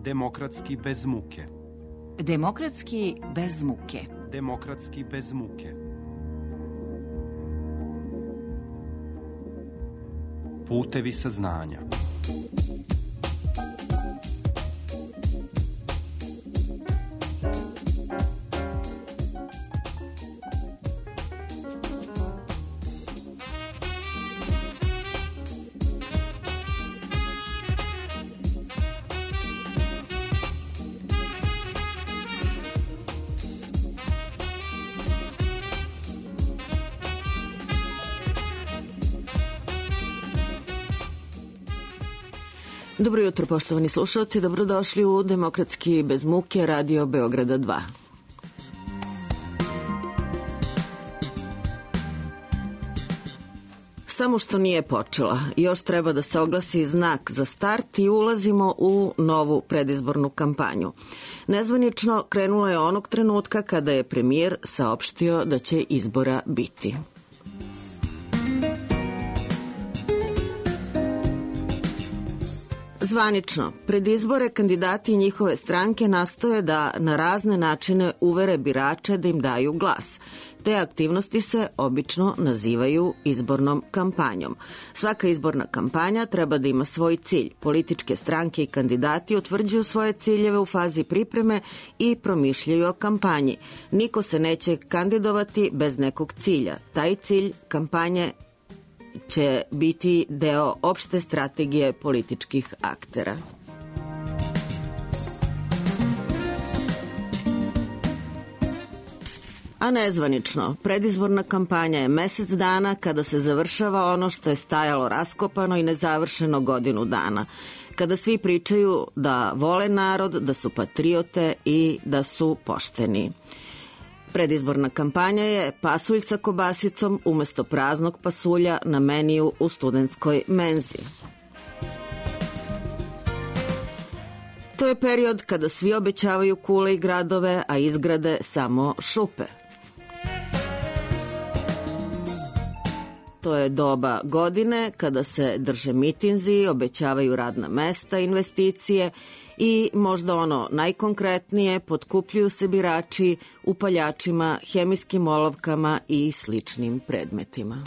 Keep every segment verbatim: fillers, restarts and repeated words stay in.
Demokratski bez muke. Demokratski bez muke. Demokratski bez muke. Putevi saznanja. Dobro jutro, poštovani slušalci, dobrodošli u Demokratski bez muke, Radio Beograda dva. Samo što nije počela, još treba da se oglasi znak za start i ulazimo u novu predizbornu kampanju. Nezvanično krenulo je onog trenutka kada je premijer saopštio da će izbora biti. Zvanično, pred izbore kandidati i njihove stranke nastoje da na razne načine uvere birače da im daju glas. Te aktivnosti se obično nazivaju izbornom kampanjom. Svaka izborna kampanja treba da ima svoj cilj. Političke stranke i kandidati utvrđuju svoje ciljeve u fazi pripreme i promišljaju o kampanji. Niko se neće kandidovati bez nekog cilja. Taj cilj kampanje će biti deo opšte strategije političkih aktera. A nezvanično, predizborna kampanja je mesec dana kada se završava ono što je stajalo raskopano i nezavršeno godinu dana. Kada svi pričaju da vole narod, da su patriote i da su pošteni. Predizborna kampanja je pasulj sa kobasicom umesto praznog pasulja na meniju u studentskoj menzi. To je period kada svi obećavaju kule i gradove, a izgrade samo šupe. To je doba godine kada se drže mitinzi, obećavaju radna mesta, investicije i možda ono najkonkretnije, potkupljuju se birači upaljačima, hemijskim olovkama i sličnim predmetima.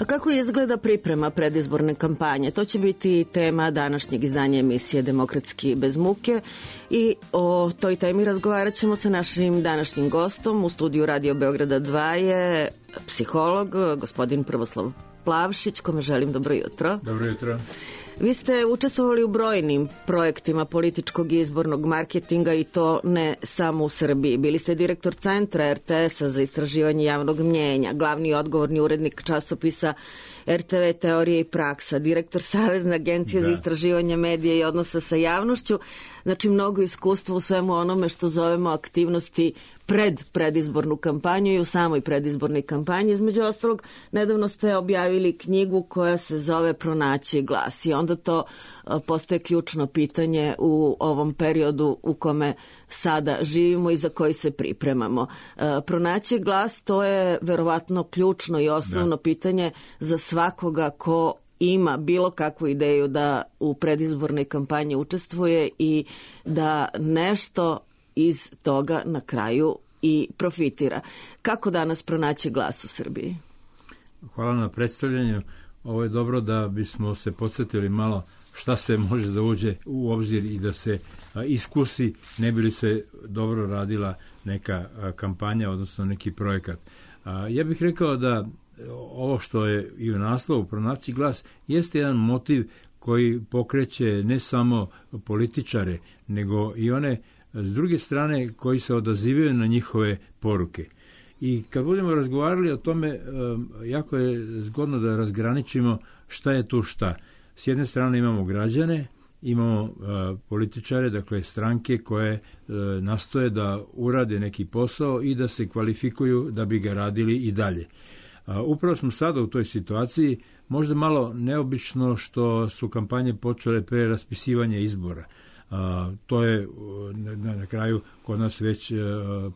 Kako izgleda priprema predizborne kampanje? To će biti tema današnjeg izdanja emisije Demokratski bez muke i o toj temi razgovarat ćemo sa našim današnjim gostom. U studiju Radio Beograda dva je psiholog, gospodin Prvoslav Plavšić, kome želim dobro jutro. Dobro jutro. Vi ste učestvovali u brojnim projektima političkog i izbornog marketinga i to ne samo u Srbiji. Bili ste direktor Centra er te es a za istraživanje javnog mnjenja, glavni i odgovorni urednik časopisa er te ve Teorija i praksa, direktor Savezne agencije da. za istraživanje medija i odnosa sa javnošću. Znači, mnogo iskustva u svemu onome što zovemo aktivnosti pred predizbornu kampanju i u samoj predizbornoj kampanji. Između ostalog, nedavno ste objavili knjigu koja se zove Pronaći glas i onda to postaje ključno pitanje u ovom periodu u kome sada živimo i za koji se pripremamo. Pronaći glas, to je verovatno ključno i osnovno da. pitanje za svakoga ko ima bilo kakvu ideju da u predizbornoj kampanji učestvuje i da nešto iz toga na kraju i profitira. Kako danas pronaći glas u Srbiji? Hvala na predstavljanju. Ovo je dobro da bismo se podsjetili malo šta sve može da uđe u obzir i da se iskusi, ne bi li se dobro radila neka kampanja, odnosno neki projekat. Ja bih rekao da ovo što je i u naslovu Pronaći glas jeste jedan motiv koji pokreće ne samo političare, nego i one s druge strane koji se odazivaju na njihove poruke. I kad budemo razgovarali o tome, jako je zgodno da razgraničimo šta je tu šta. S jedne strane imamo građane, imamo uh, političare, dakle stranke koje uh, nastoje da urade neki posao i da se kvalifikuju da bi ga radili i dalje. Uh, upravo smo sada u toj situaciji, možda malo neobično što su kampanje počele pre raspisivanja izbora, A, to je na, na kraju kod nas već a,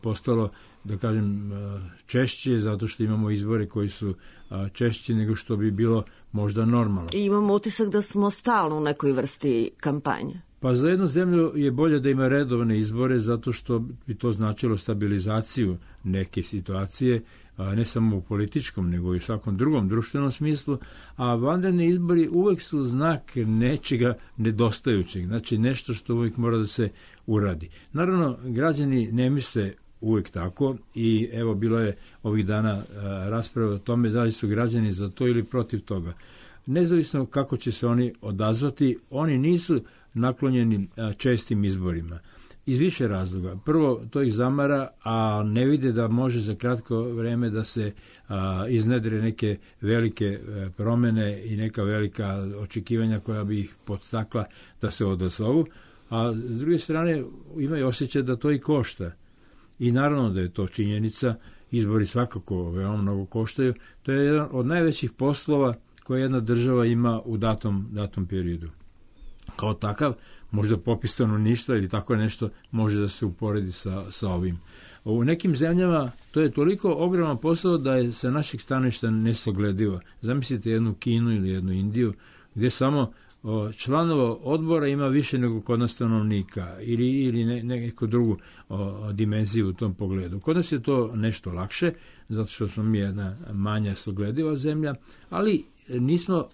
postalo, da kažem, a, češće, zato što imamo izbore koji su a, češći nego što bi bilo možda normalno. I imamo utisak da smo stalno u nekoj vrsti kampanje. Pa za jednu zemlju je bolje da ima redovne izbore, zato što bi to značilo stabilizaciju neke situacije, ne samo u političkom, nego i u svakom drugom društvenom smislu, a vanredni izbori uvek su znak nečega nedostajućeg, znači nešto što uvek mora da se uradi. Naravno, građani ne misle uvek tako i evo bilo je ovih dana rasprave o tome da li su građani za to ili protiv toga. Nezavisno kako će se oni odazvati, oni nisu naklonjeni čestim izborima. Iz više razloga. Prvo, to ih zamara, a ne vide da može za kratko vreme da se a, iznedre neke velike a, promene i neka velika očekivanja koja bi ih podstakla da se odazovu. A s druge strane, imaju osjećaj da to i košta. I naravno da je to činjenica, izbori svakako veoma mnogo koštaju. To je jedan od najvećih poslova koje jedna država ima u datom, datom periodu. Kao takav, možda popis stanovništva ili tako nešto može da se uporedi sa, sa ovim. U nekim zemljama to je toliko ogroman posao da je sa naših stanovišta nesagledivo. Zamislite jednu Kinu ili jednu Indiju gdje samo o, članova odbora ima više nego kod nas stanovnika ili, ili ne, neku drugu o, dimenziju u tom pogledu. Kod nas je to nešto lakše, zato što smo mi jedna manja saglediva zemlja, ali nismo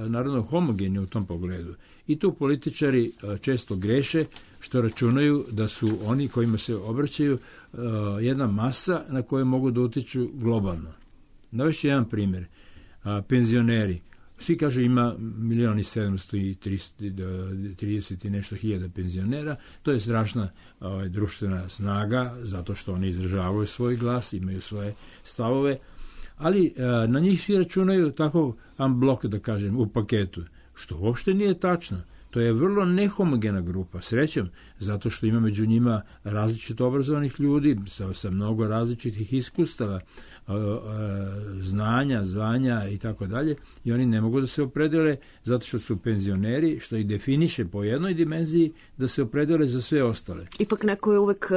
naravno homogeni u tom pogledu. I tu političari često greše što računaju da su oni kojima se obraćaju jedna masa na koju mogu da utiču globalno. Navešću jedan primjer. Penzioneri. Svi kažu ima milion i sedamsto i trideset i nešto hiljada penzionera. To je strašna ovaj, društvena snaga, zato što oni izražavaju svoj glas, imaju svoje stavove, ali a, na njih svi računaju tako unblock, da kažem, u paketu, što uopšte nije tačno. To je vrlo nehomogena grupa, srećom, zato što ima među njima različito obrazovanih ljudi sa, sa mnogo različitih iskustava, a, a, znanja, zvanja i tako dalje, i oni ne mogu da se opredele zato što su penzioneri, što ih definiše po jednoj dimenziji, da se opredele za sve ostale. Ipak neko je uvek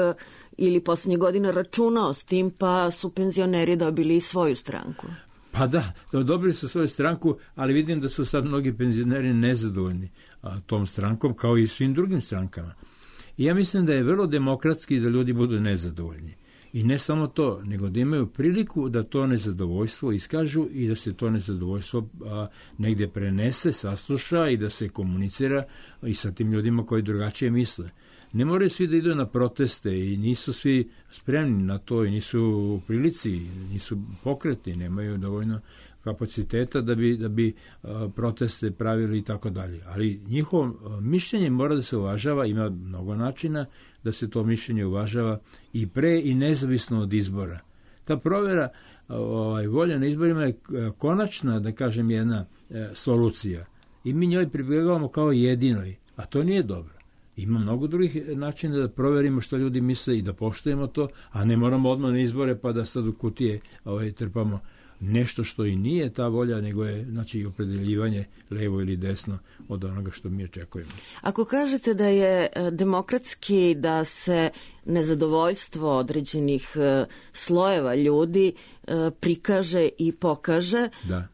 ili posljednje godine računao s tim, pa su penzioneri dobili svoju stranku. Pa da, dobili su svoju stranku, ali vidim da su sad mnogi penzioneri nezadovoljni a, tom strankom, kao i svim drugim strankama. I ja mislim da je vrlo demokratski da ljudi budu nezadovoljni. I ne samo to, nego da imaju priliku da to nezadovoljstvo iskažu i da se to nezadovoljstvo a, negdje prenese, sasluša i da se komunicira i sa tim ljudima koji drugačije misle. Ne moraju svi da idu na proteste i nisu svi spremni na to i nisu u prilici, nisu pokreti, nemaju dovoljno kapaciteta da bi, da bi a, proteste pravili i tako dalje. Ali njihovo a, mišljenje mora da se uvažava, ima mnogo načina da se to mišljenje uvažava i pre i nezavisno od izbora. Ta provjera ovaj, volja na izborima je konačna, da kažem, jedna e, solucija. I mi njoj pribjegavamo kao jedinoj, a to nije dobro. Ima mnogo drugih načina da proverimo što ljudi misle i da poštujemo to, a ne moramo odmah na izbore pa da sad u kutije ovaj, trpamo nešto što i nije ta volja, nego je znači opredeljivanje levo ili desno od onoga što mi očekujemo. Ako kažete da je demokratski da se nezadovoljstvo određenih slojeva ljudi prikaže i pokaže, da.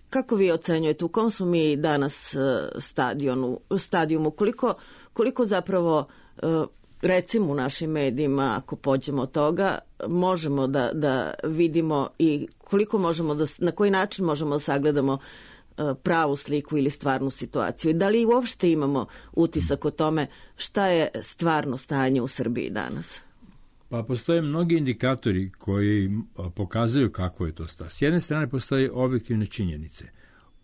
Kako vi ocenjujete, u kom smo mi danas stadionu, stadijumu, koliko, koliko zapravo, recimo u našim medijima, ako pođemo od toga, možemo da, da vidimo i koliko možemo da, na koji način možemo da sagledamo pravu sliku ili stvarnu situaciju. I da li uopšte imamo utisak o tome šta je stvarno stanje u Srbiji danas? Pa postoje mnogi indikatori koji pokazuju kako je to stanje. S jedne strane postoje objektivne činjenice.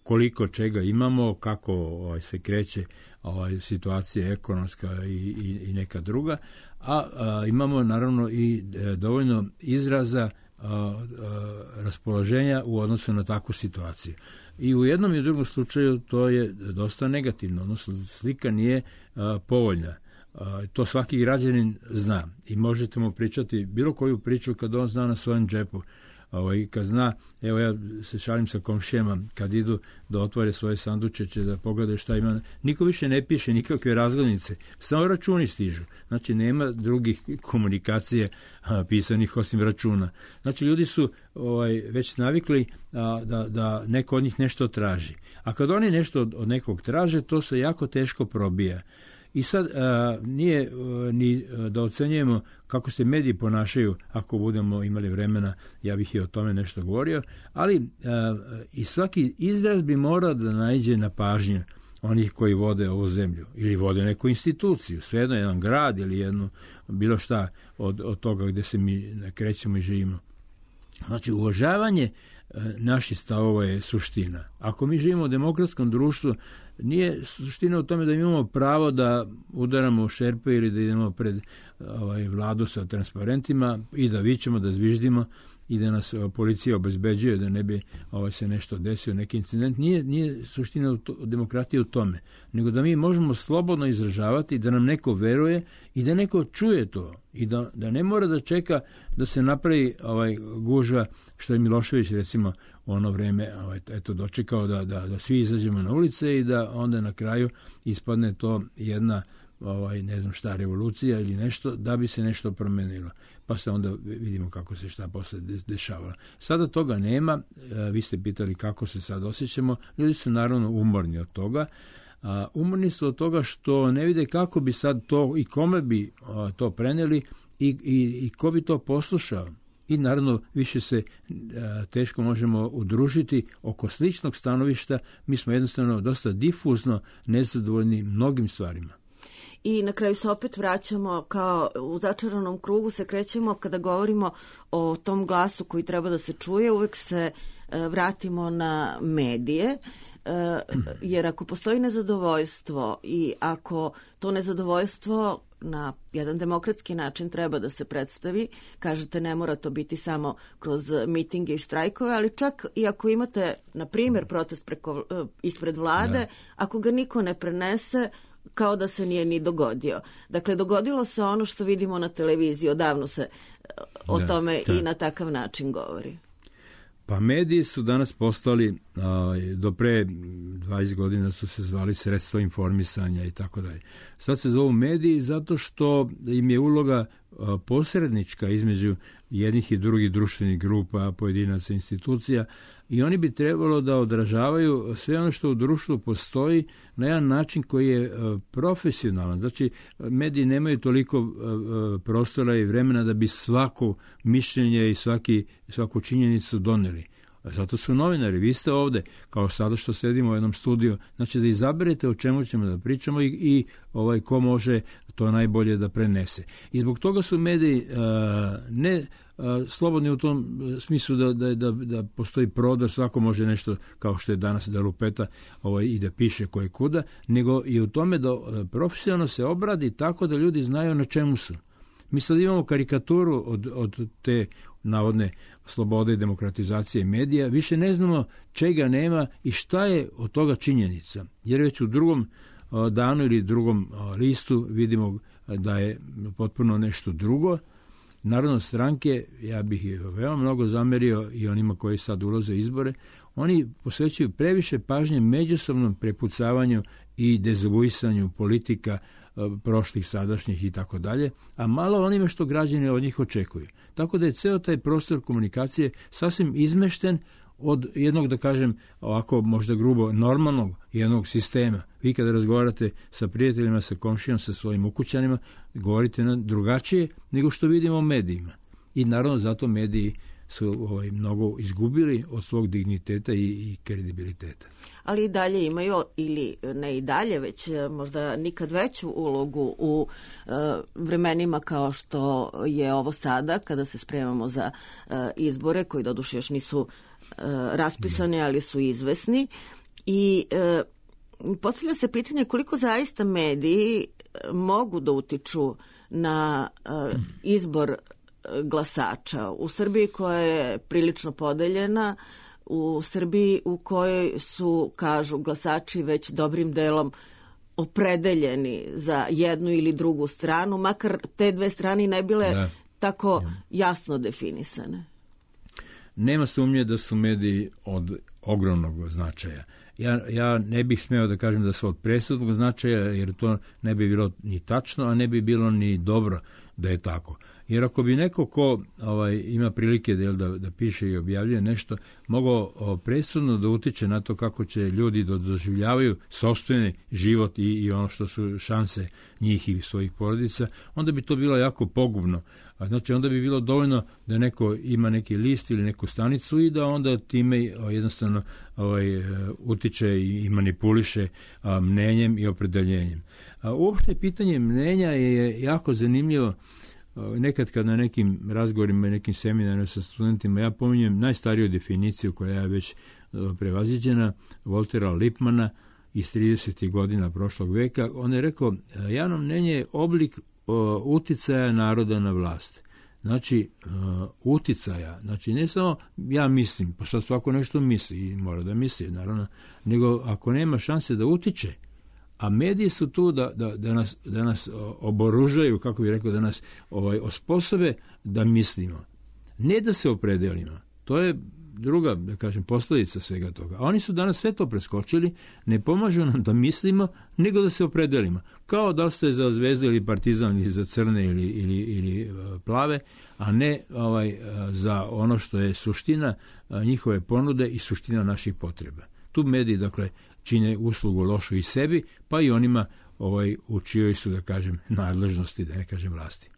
Koliko čega imamo, kako ovaj, se kreće ovaj, situacija ekonomska i, i, i neka druga, a, a imamo naravno i e, dovoljno izraza a, a, raspoloženja u odnosu na takvu situaciju. I u jednom i u drugom slučaju to je dosta negativno, odnosno slika nije a, povoljna. Uh, to svaki građanin zna i možete mu pričati bilo koju priču kad on zna na svojem džepu ovaj, kad zna, evo ja se šalim sa komšijama, kad idu da otvore svoje sandučeće, da pogledaju šta ima, niko više ne piše nikakve razglednice, samo računi stižu. Znači, nema drugih komunikacije a, pisanih osim računa. Znači, ljudi su ovaj, već navikli a, da, da neko od njih nešto traži. A kad oni nešto od, od nekog traže, to se jako teško probija. I sad a, nije a, ni a, da ocenjujemo kako se mediji ponašaju, ako budemo imali vremena, ja bih i o tome nešto govorio, ali a, i svaki izraz bi morao da naiđe na pažnju onih koji vode ovu zemlju ili vode neku instituciju, svejedno jedan grad ili jednu, bilo šta od, od toga gdje se mi krećemo i živimo. Znači, uvažavanje naših stavova je suština. Ako mi živimo u demokratskom društvu, nije suština u tome da imamo pravo da udaramo u šerpe ili da idemo pred ovaj, vladu sa transparentima i da vičemo, da zviždimo i da nas policija obezbeđuje da ne bi ovaj, se nešto desio, neki incident. Nije, nije suština demokratije u tome, nego da mi možemo slobodno izražavati, da nam neko veruje i da neko čuje to i da, da ne mora da čeka da se napravi ovaj, gužva, što je Milošević recimo u ono vreme ovaj, eto, dočekao da, da, da svi izađemo na ulice i da onda na kraju ispadne to jedna ovaj, ne znam šta, revolucija ili nešto, da bi se nešto promenilo. Pa se onda vidimo kako se šta posle dešava. Sada toga nema, vi ste pitali kako se sad osjećamo, ljudi su naravno umorni od toga, a, umorni su od toga što ne vide kako bi sad to i kome bi a, to preneli i, i, i ko bi to poslušao. I naravno više se a, teško možemo udružiti oko sličnog stanovišta, mi smo jednostavno dosta difuzno nezadovoljni mnogim stvarima. I na kraju se opet vraćamo kao u začaranom krugu se krećemo kada govorimo o tom glasu koji treba da se čuje, uvek se e, vratimo na medije, e, jer ako postoji nezadovoljstvo i ako to nezadovoljstvo na jedan demokratski način treba da se predstavi, kažete ne mora to biti samo kroz mitinge i štrajkove, ali čak i ako imate, na primjer, protest preko, e, ispred vlade, da. Ako ga niko ne prenese, kao da se nije ni dogodio. Dakle, dogodilo se ono što vidimo na televiziji, odavno se o da, tome da. I na takav način govori. Pa mediji su danas postali, a, do pre dvadeset godina su se zvali sredstva informisanja i tako dalje. Sad se zovu mediji zato što im je uloga a, posrednička između jednih i drugih društvenih grupa, pojedinaca, institucija, i oni bi trebalo da odražavaju sve ono što u društvu postoji na jedan način koji je profesionalan. Znači, mediji nemaju toliko prostora i vremena da bi svako mišljenje i svaki, svaku činjenicu doneli. Zato su novinari, vi ste ovde, kao sada što sedimo u jednom studiju, znači da izaberete o čemu ćemo da pričamo i, i ovaj, ko može to najbolje da prenese. I zbog toga su mediji uh, ne uh, slobodni u tom smislu da, da, da, da postoji prodor, svako može nešto, kao što je danas da lupeta ovaj, i da piše koje kuda, nego i u tome da uh, profesionalno se obradi tako da ljudi znaju na čemu su. Mi sad imamo karikaturu od, od te navodne slobode i demokratizacije medija, više ne znamo čega nema i šta je od toga činjenica. Jer već u drugom danu ili drugom listu vidimo da je potpuno nešto drugo. Naravno, stranke, ja bih ih veoma mnogo zamerio i onima koji sad ulaze u izbore, oni posvećuju previše pažnje međusobnom prepucavanju i dezavuisanju politika prošlih, sadašnjih i tako dalje, a malo onime što građani od njih očekuju. Tako da je ceo taj prostor komunikacije sasvim izmešten od jednog, da kažem, ovako možda grubo, normalnog jednog sistema. Vi kada razgovarate sa prijateljima, sa komšijom, sa svojim ukućanima, govorite na drugačije nego što vidimo u medijima. I naravno zato mediji su ovaj, mnogo izgubili od svog digniteta i, i kredibiliteta. Ali i dalje imaju, ili ne i dalje, već možda nikad veću ulogu u uh, vremenima kao što je ovo sada, kada se spremamo za uh, izbore, koji doduše još nisu uh, raspisani, ali su izvesni. I uh, postavlja se pitanje koliko zaista mediji mogu da utiču na uh, izbor glasača. U Srbiji koja je prilično podeljena, u Srbiji u kojoj su, kažu glasači, već dobrim delom opredeljeni za jednu ili drugu stranu, makar te dve strane ne bile da. tako jasno definisane. nema sumnje da su mediji od ogromnog značaja. Ja, ja ne bih smeo da kažem da su od presudnog značaja, jer to ne bi bilo ni tačno, a ne bi bilo ni dobro da je tako. Jer ako bi neko ko ovaj, ima prilike da, da, da piše i objavljuje nešto, mogao o, presudno da utiče na to kako će ljudi da doživljavaju sopstveni život i, i ono što su šanse njih i svojih porodica, onda bi to bilo jako pogubno. A znači onda bi bilo dovoljno da neko ima neki list ili neku stanicu i da onda time jednostavno ovaj, utiče i manipuliše a, mnenjem i opredeljenjem. A, uopšte pitanje mnenja je jako zanimljivo. Nekad kad na nekim razgovorima i nekim seminarima sa studentima ja pominjem najstariju definiciju koja je već prevaziđena, Waltera Lippmana iz tridesetih godina prošlog veka. On je rekao, javno mnenje je oblik o, uticaja naroda na vlast. Znači, uh, uticaja, znači ne samo ja mislim, pa sad svako nešto misli i mora da misli, naravno, nego ako nema šanse da utiče, a mediji su tu da, da, da, nas, da nas oboružaju, kako bih rekao, da nas ovaj, osposobe da mislimo. Ne da se opredelimo. To je druga, da kažem, posljedica svega toga. A oni su danas sve to preskočili, ne pomažu nam da mislimo, nego da se opredelimo. Kao da ste za Zvezdu ili Partizan ili za crne ili, ili, ili plave, a ne ovaj, za ono što je suština njihove ponude i suština naših potreba. Tu mediji, dakle, čine uslugu lošu i sebi, pa i onima ovaj, u čijoj su, da kažem, nadležnosti, da ne kažem vlasti.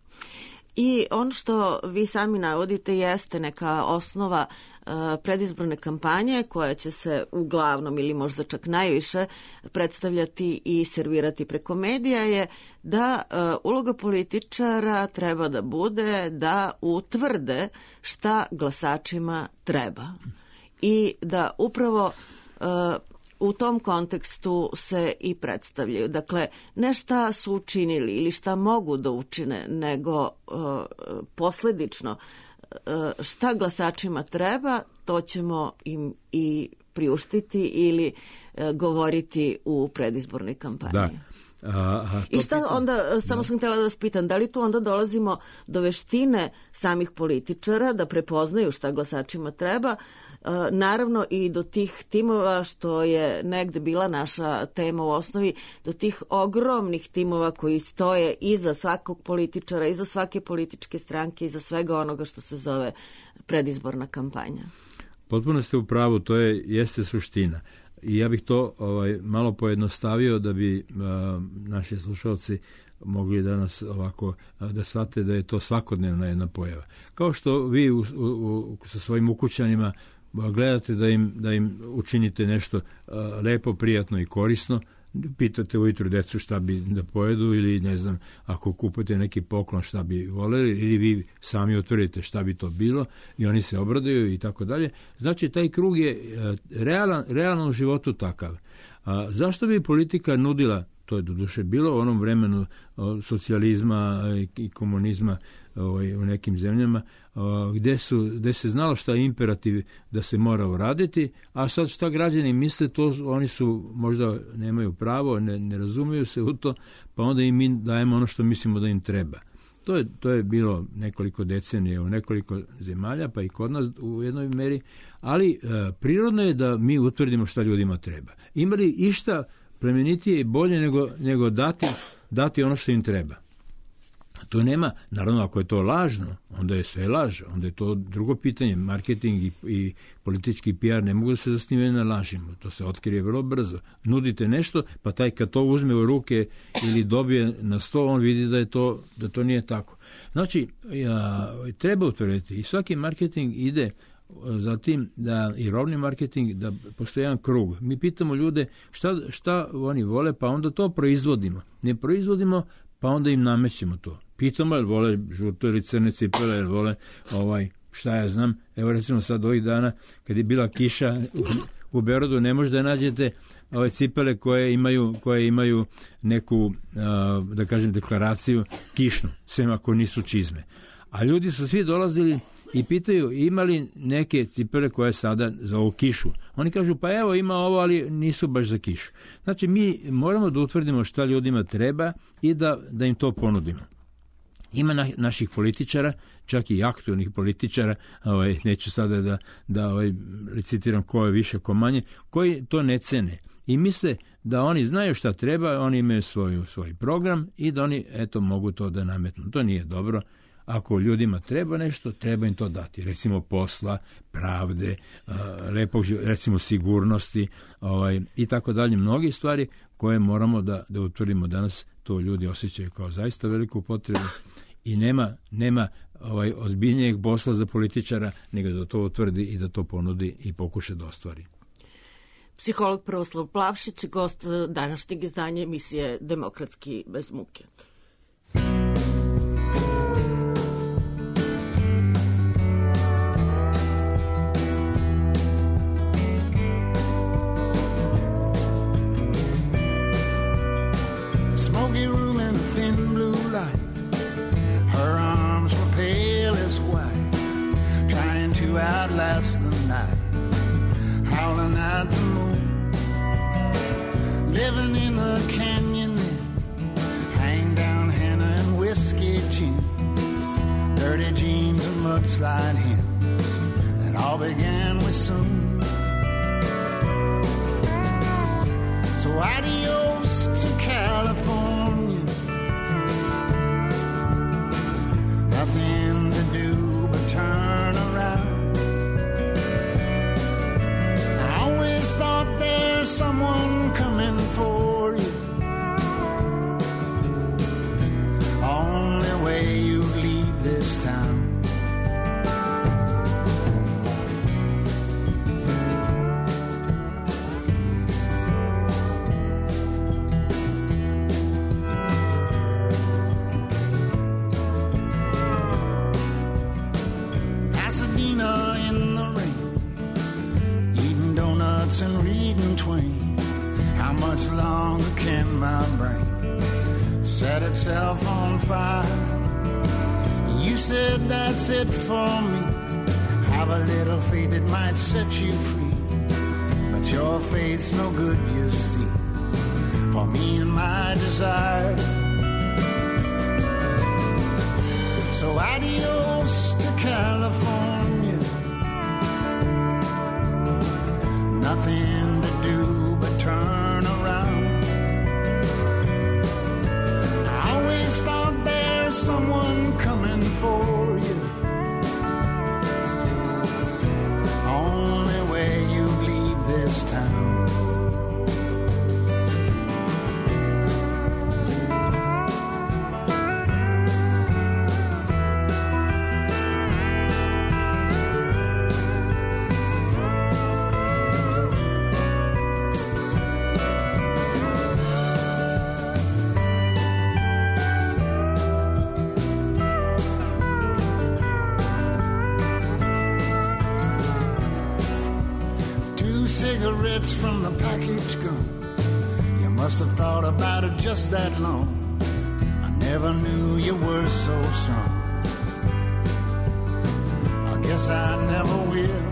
I ono što vi sami navodite jeste neka osnova uh, predizborne kampanje koja će se uglavnom ili možda čak najviše predstavljati i servirati preko medija je da uh, uloga političara treba da bude da utvrde šta glasačima treba i da upravo uh, u tom kontekstu se i predstavljaju. Dakle, ne šta su učinili ili šta mogu da učine, nego uh, posledično uh, šta glasačima treba, to ćemo im i priuštiti ili uh, govoriti u predizbornoj kampanji. Da. A, a, I šta pitam? Onda, samo da. sam htjela da vas pitam, da li tu onda dolazimo do veštine samih političara da prepoznaju šta glasačima treba, naravno i do tih timova, što je negde bila naša tema u osnovi, do tih ogromnih timova koji stoje iza svakog političara, iza svake političke stranke, iza svega onoga što se zove predizborna kampanja. Potpuno ste u pravu, to je, jeste suština. I ja bih to ovaj, malo pojednostavio da bi a, naši slušalci mogli danas ovako da shvate da je to svakodnevna jedna pojava. Kao što vi u, u, u, sa svojim ukućanima gledate da im, da im učinite nešto uh, lepo, prijatno i korisno, pitate ujutru decu šta bi da pojedu ili ne znam, ako kupite neki poklon šta bi voleli ili vi sami utvrdite šta bi to bilo i oni se obraduju i tako dalje. Znači, taj krug je uh, realan, realno u životu takav. A zašto bi politika nudila, to je doduše bilo u onom vremenu uh, socijalizma i, i komunizma ovaj, u nekim zemljama, Gde, su, gde se znalo šta je imperativ da se mora uraditi, a sad šta građani misle, to oni su možda nemaju pravo, ne, ne razumiju se u to, pa onda im mi dajemo ono što mislimo da im treba. To je, to je bilo nekoliko decenija u nekoliko zemalja, pa i kod nas u jednoj meri, ali e, prirodno je da mi utvrdimo šta ljudima treba. Ima li išta plemenitije i bolje nego, nego dati, dati ono što im treba? To nema, naravno ako je to lažno, onda je sve laž, onda je to drugo pitanje. Marketing i, i politički P R ne mogu da se zasnivaju na lažima, to se otkrije vrlo brzo. Nudite nešto, pa taj kad to uzme u ruke ili dobije na sto, on vidi da je to, da to nije tako. Znači, ja, treba utvrditi i svaki marketing ide za tim da i robni marketing, da postoji jedan krug. Mi pitamo ljude šta, šta oni vole, pa onda to proizvodimo. Ne proizvodimo, pa onda im namećemo to. Pitamo, jel vole žuto ili crne cipele, jel vole ovaj, šta ja znam. Evo recimo sad ovih dana, kad je bila kiša u, u Beogradu, ne možete da nađete ove cipele koje imaju, koje imaju neku, da kažem, deklaraciju kišnu, sem ako nisu čizme. A ljudi su svi dolazili i pitaju ima li neke cipele koje sada za ovu kišu. Oni kažu pa evo ima ovo, ali nisu baš za kišu. Znači mi moramo da utvrdimo šta ljudima treba i da, da im to ponudimo. Ima na, naših političara, čak i aktualnih političara, ovaj, neću sada da, da ovaj, recitiram ko je više, ko manje, koji to ne cene. I misle da oni znaju šta treba, oni imaju svoju, svoj program i da oni eto mogu to da nametnu. To nije dobro. Ako ljudima treba nešto, treba im to dati. Recimo posla, pravde, lepog, recimo sigurnosti ovaj, i tako dalje. Mnogi stvari koje moramo da, da utvrdimo danas, to ljudi osjećaju kao zaista veliku potrebu i nema, nema ovaj, ozbiljnijeg posla za političara nego da to utvrdi i da to ponudi i pokuša da ostvari. Psiholog Prvoslav Plavšić, gost današnjeg izdanja emisije Demokratski bez muke. Smoky room and a thin blue light. Her arms were pale as white, trying to outlast the night, howling at the moon. Living in the canyon there, hang down henna and whiskey gin, dirty jeans and mudslide hymns that all began with soon. So adios to California, nothing to do but turn around. I always thought there's someone coming for you, only way you leave this town. And reading Twain, how much longer can my brain set itself on fire? You said that's it for me, have a little faith it might set you free, but your faith's no good, you see, for me and my desire. So adios to California, nothing to do but turn around. I always thought there's someone coming for you, only way you leave this town. Cigarettes from the package gone. You must have thought about it just that long. I never knew you were so strong. I guess I never will.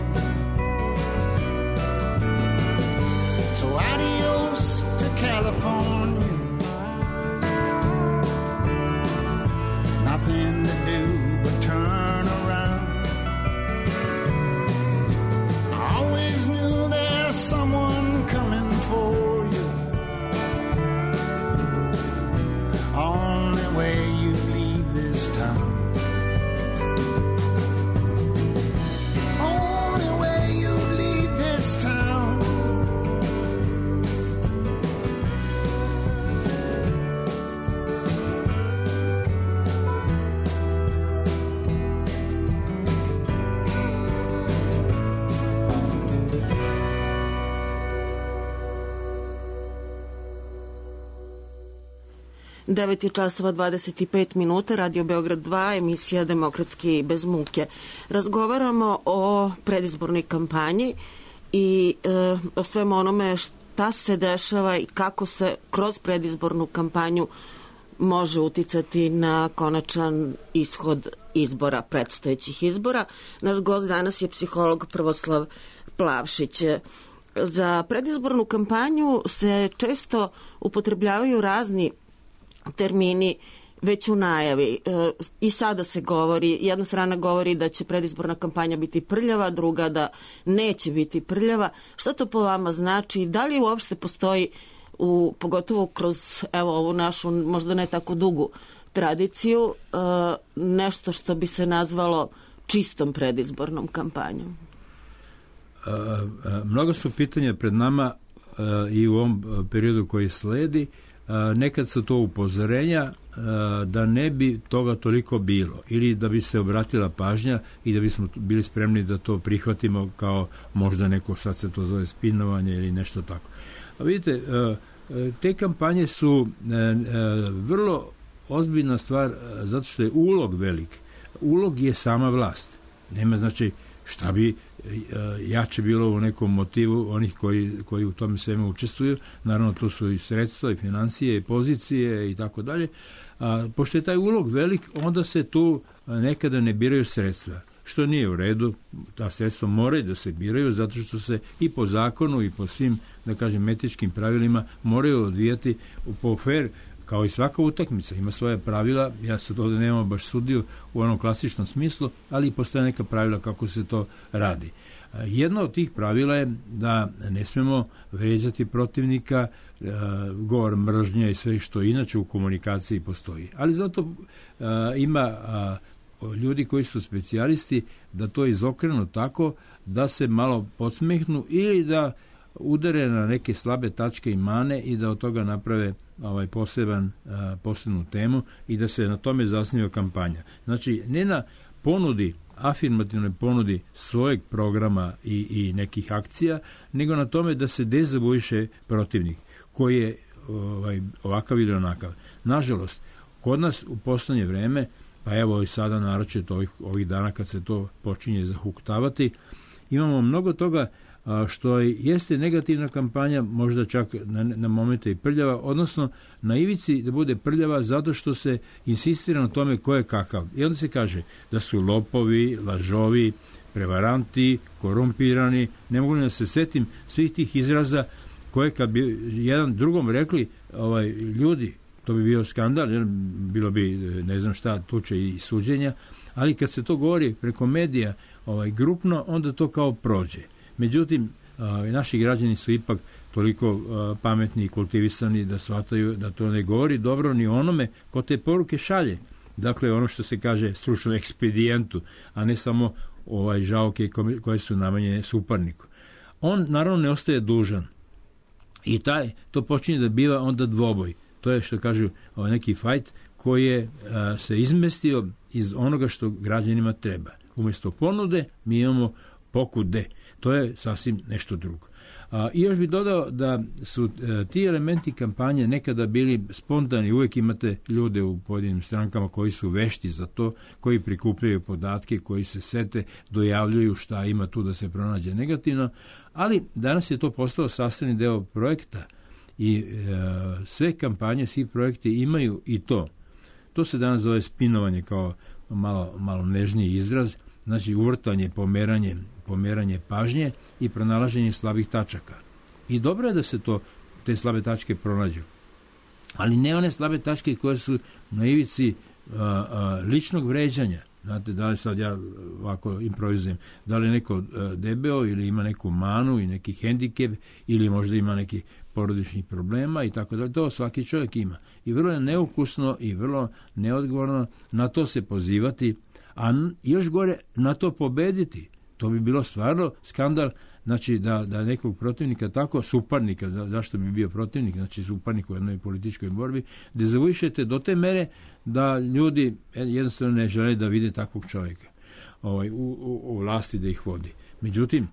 So adios to California, nothing to do but turn around. I always knew there's someone coming for you, only way you leave this town. Only way you leave this town. devet je časova dvadeset pet minuta, Radio Beograd dva, emisija Demokratski bez muke. Razgovaramo o predizbornoj kampanji i e, o svem onome šta se dešava i kako se kroz predizbornu kampanju može uticati na konačan ishod izbora, predstojećih izbora. Naš gost danas je psiholog Prvoslav Plavšić. Za predizbornu kampanju se često upotrebljavaju razni termini već u najavi. I sada se govori, jedna strana govori da će predizborna kampanja biti prljava, druga da neće biti prljava. Šta to po vama znači? Da li uopšte postoji, u, pogotovo kroz evo, ovu našu možda ne tako dugu tradiciju, nešto što bi se nazvalo čistom predizbornom kampanjom? Mnogo su pitanja pred nama i u ovom periodu koji sledi. Nekad su to upozorenja da ne bi toga toliko bilo ili da bi se obratila pažnja i da bismo bili spremni da to prihvatimo kao možda neko, šta se to zove, spinovanje ili nešto tako. A vidite, te kampanje su vrlo ozbiljna stvar zato što je ulog velik. Ulog je sama vlast. Nema znači šta bi jače bilo u nekom motivu onih koji, koji u tome svemu učestvuju. Naravno, tu su i sredstva, i financije, i pozicije i tako dalje. A pošto je taj ulog velik, onda se tu nekada ne biraju sredstva, što nije u redu. Ta sredstva moraju da se biraju, zato što se i po zakonu i po svim, da kažem, etičkim pravilima moraju odvijati po fair, kao i svaka utakmica. Ima svoje pravila, ja sad ovdje nemam baš sudiju u onom klasičnom smislu, ali postoje neka pravila kako se to radi. Jedno od tih pravila je da ne smemo vređati protivnika, govor mržnje i sve što inače u komunikaciji postoji. Ali zato ima ljudi koji su specijalisti da to izokrenu tako da se malo podsmehnu ili da udare na neke slabe tačke i mane i da od toga naprave ovaj poseban, a, posebnu temu i da se na tome zasniva kampanja. Znači, ne na ponudi, afirmativnoj ponudi svojeg programa i, i nekih akcija, nego na tome da se dezavuiše protivnik koji je ovaj, ovakav ili onakav. Nažalost, kod nas u poslednje vreme, pa evo i sada naročito ovih, ovih dana kad se to počinje zahuktavati, imamo mnogo toga što jeste negativna kampanja, možda čak na, na momente i prljava, odnosno na ivici da bude prljava zato što se insistira na tome ko je kakav. I onda se kaže da su lopovi, lažovi, prevaranti, korumpirani. Ne mogu da se setim svih tih izraza koje kad bi jedan drugom rekli ovaj, ljudi, to bi bio skandal, jer bilo bi ne znam šta, tuče i suđenja, ali kad se to govori preko medija ovaj, grupno, onda to kao prođe. Međutim, naši građani su ipak toliko pametni i kultivisani da shvataju da to ne govori dobro ni onome ko te poruke šalje. Dakle, ono što se kaže stručno ekspedijentu, a ne samo ovaj žaoke koje su namenjene suparniku. On naravno ne ostaje dužan. I taj, to počinje da biva onda dvoboj. To je što kažu ovaj neki fajt koji je a, se izmestio iz onoga što građanima treba. Umjesto ponude mi imamo pokude. To je sasvim nešto drugo. A, I još bih dodao da su e, ti elementi kampanje nekada bili spontani. Uvijek imate ljude u pojedinim strankama koji su vešti za to, koji prikupljaju podatke, koji se sete, dojavljuju šta ima tu da se pronađe negativno, ali danas je to postao sastavni deo projekta i e, sve kampanje, svi projekti imaju i to. To se danas zove spinovanje kao malo, malo nežniji izraz, znači uvrtanje, pomeranje, pomeranje pažnje i pronalaženje slabih tačaka. I dobro je da se to, te slabe tačke pronađu. Ali ne one slabe tačke koje su na ivici a, a, ličnog vređanja. Znate, da li sad ja ovako improvizujem, da li je neko a, debeo ili ima neku manu i neki hendikep ili možda ima neki porodičnih problema i tako dalje. To svaki čovjek ima. I vrlo je neukusno i vrlo neodgovorno na to se pozivati, a još gore na to pobediti. To bi bilo stvarno skandal, znači da, da nekog protivnika tako, suparnika, za, zašto bi bio protivnik, znači suparnik u jednoj političkoj borbi, da zavuišete do te mere da ljudi jednostavno ne žele da vide takvog čovjeka ovaj, u, u, u vlasti da ih vodi. Međutim,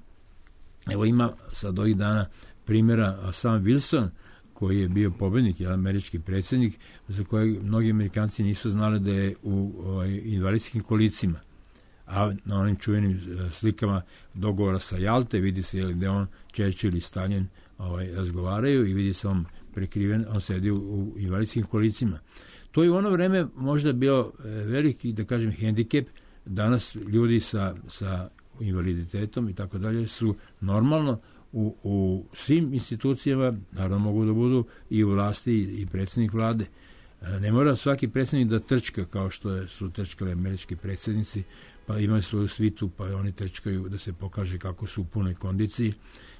evo ima sad ovih dana primjera Sam Wilson, koji je bio pobednik, je američki predsjednik, za kojeg mnogi Amerikanci nisu znali da je u ovaj, invalidskim kolicima. A na onim čuvenim slikama dogovora sa Jalte vidi se jel, gde on, Churchill i Stalin ovaj, razgovaraju i vidi se on prekriven, on sedi u, u invalidskim kolicima. To je u ono vreme možda bio veliki, da kažem, hendikep. Danas ljudi sa, sa invaliditetom i tako dalje su normalno u, u svim institucijama, naravno mogu da budu i u vlasti i predsjednik vlade. Ne mora svaki predsjednik da trčka kao što su trčkali američki predsjednici, pa imaju svoju svitu, pa oni trčkaju da se pokaže kako su u punoj kondiciji.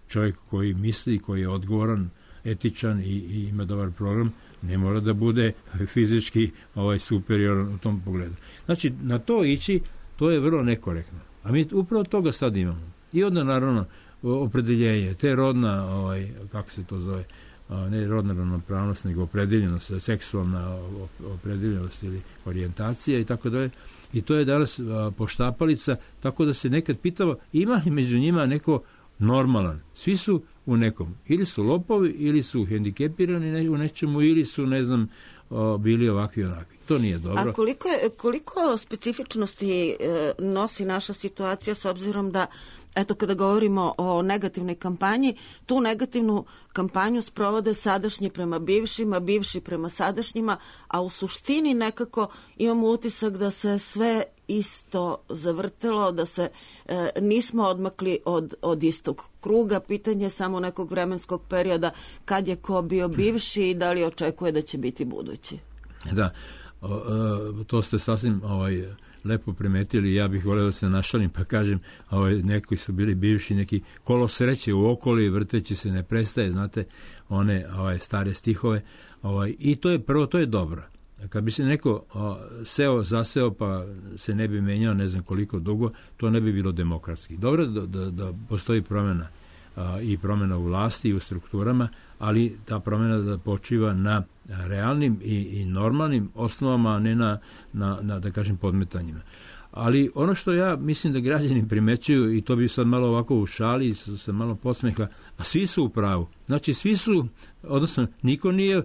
Čovjek koji misli, koji je odgovoran, etičan i, i ima dobar program, ne mora da bude fizički ovaj, superioran u tom pogledu. Znači, na to ići, to je vrlo nekorektno. A mi upravo toga sad imamo. I onda, naravno, opredeljenje, te rodna, ovaj, kako se to zove, ne rodna ravnopravnost, nego opredeljenost, seksualna opredeljenost ili orijentacija i tako dalje. I to je danas poštapalica, tako da se nekad pitalo, ima li među njima neko normalan? Svi su u nekom. Ili su lopovi, ili su hendikepirani u nečemu, ili su, ne znam, bili ovakvi i onakvi. To nije dobro. A koliko, je, koliko specifičnosti e, nosi naša situacija s obzirom da, eto, kada govorimo o negativnoj kampanji, tu negativnu kampanju sprovode sadašnji prema bivšima, bivši prema sadašnjima, a u suštini nekako imamo utisak da se sve isto zavrtelo, da se e, nismo odmakli od, od istog kruga. Pitanje je samo nekog vremenskog perioda kad je ko bio bivši i da li očekuje da će biti budući. Da, o, o, to ste sasvim ovaj, lepo primetili. Ja bih volio da se našalim pa kažem, ovaj, neki su bili bivši, neki kolo sreće u okoli, vrteći se ne prestaje, znate, one ovaj, stare stihove. Ovaj, I to je prvo, to je dobro. Kad bi se neko o, seo, zaseo pa se ne bi menjao ne znam koliko dugo, to ne bi bilo demokratski. Dobro da, da, da postoji promjena a, i promjena u vlasti i u strukturama, ali ta promjena da počiva na realnim i, i normalnim osnovama, a ne na, na, na, da kažem, podmetanjima. Ali ono što ja mislim da građani primećuju, i to bi sad malo ovako u šali, sa malo podsmeha, a svi su u pravu. Znači, svi su, odnosno, niko nije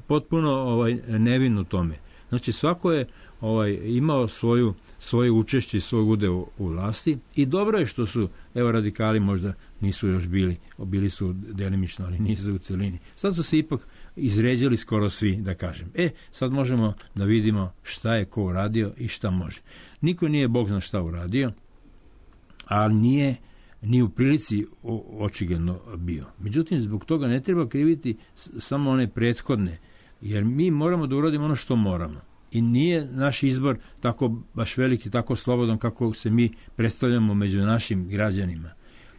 potpuno ovaj, nevin u tome. Znači, svako je ovaj, imao svoju, svoje učešće i svoj udeo u vlasti i dobro je što su, evo, radikali možda nisu još bili, bili su delimično, ali nisu u celini. Sad su se ipak izređali skoro svi, da kažem. E, sad možemo da vidimo šta je ko uradio i šta može. Niko nije Bog zna šta uradio, ali nije ni u prilici očigledno bio. Međutim, zbog toga ne treba kriviti samo one prethodne, jer mi moramo da uradimo ono što moramo. I nije naš izbor tako baš veliki, tako slobodan kako se mi predstavljamo među našim građanima.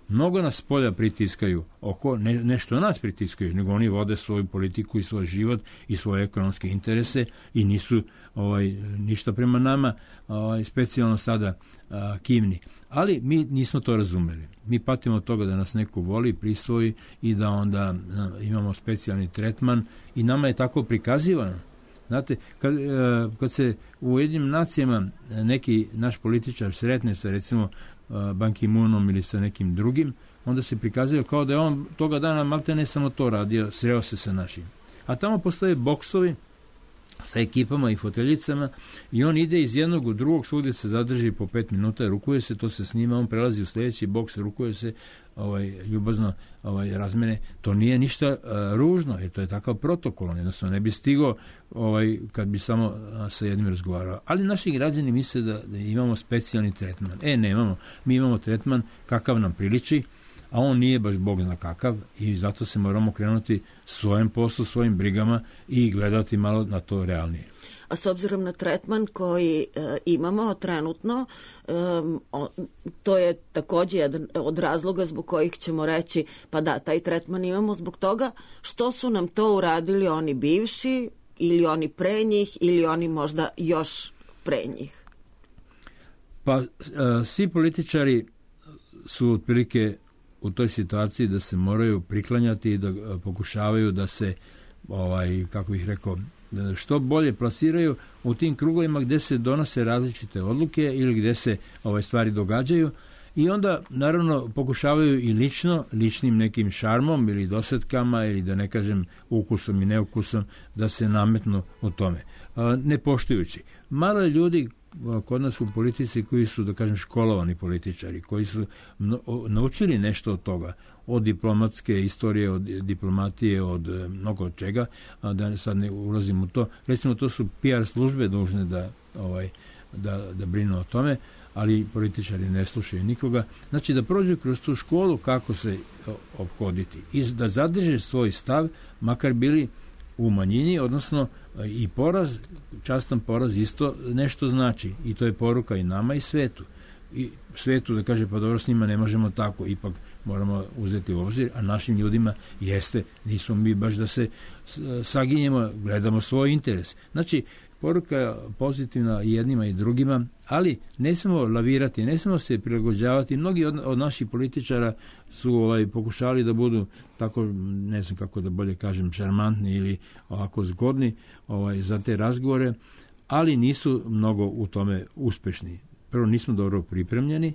Mnogo nas polja pritiskaju oko, ne, nešto nas pritiskaju, nego oni vode svoju politiku i svoj život i svoje ekonomske interese i nisu ovaj, ništa prema nama ovaj, specijalno sada a, kivni. Ali mi nismo to razumeli. Mi patimo od toga da nas neko voli, prisvoji i da onda a, imamo specijalni tretman i nama je tako prikazivano. Znate, kad, kad se u Ujedinjenim nacijama neki naš političar sretne sa recimo Ban Ki-moonom ili sa nekim drugim, onda se prikazuje kao da je on toga dana malte ne samo to radio, sreo se sa našim. A tamo postoje boksovi sa ekipama i foteljicama i on ide iz jednog u drugog, svugdje se zadrži po pet minuta, rukuje se, to se snima, on prelazi u sljedeći boks, rukuje se, ovaj, ljubazno ovaj, razmene. To nije ništa uh, ružno, jer to je takav protokol, on jednostavno ne bi stigao ovaj, kad bi samo uh, sa jednim razgovarao. Ali naši građani misle da, da imamo specijalni tretman. E, nemamo. Mi imamo tretman kakav nam priliči, a on nije baš Bog zna kakav i zato se moramo krenuti svojim poslu, svojim brigama i gledati malo na to realnije. A s obzirom na tretman koji e, imamo trenutno, e, o, to je također jedan od razloga zbog kojih ćemo reći pa da, taj tretman imamo zbog toga što su nam to uradili oni bivši ili oni pre njih ili oni možda još pre njih. Pa e, svi političari su otprilike u toj situaciji da se moraju priklanjati i da pokušavaju da se, ovaj, kako bih rekao, što bolje plasiraju u tim krugovima gdje se donose različite odluke ili gdje se ovaj, stvari događaju i onda naravno pokušavaju i lično, ličnim nekim šarmom ili dosetkama ili da ne kažem ukusom i neukusom da se nametnu u tome. Ne poštujući. Malo je ljudi kod nas u politici koji su, da kažem, školovani političari, koji su naučili nešto od toga, od diplomatske istorije, od diplomatije, od mnogo čega, a da sad ne ulazim u to. Recimo, to su P R službe dužne da, ovaj, da, da brinu o tome, ali političari ne slušaju nikoga. Znači, da prođu kroz tu školu kako se ophoditi i da zadrže svoj stav, makar bili u manjini, odnosno I poraz, častan poraz isto nešto znači. I to je poruka i nama i svetu. I svetu da kaže, pa dobro, s njima ne možemo tako, ipak moramo uzeti u obzir, a našim ljudima jeste, nismo mi baš da se saginjemo, gledamo svoj interes. Znači, poruka je pozitivna i jednima i drugima, ali ne smemo lavirati, ne smemo se prilagođavati. Mnogi od, od naših političara su ovaj, pokušali da budu tako, ne znam kako da bolje kažem, šarmantni ili ovako zgodni ovaj, za te razgovore, ali nisu mnogo u tome uspešni. Prvo, nismo dobro pripremljeni,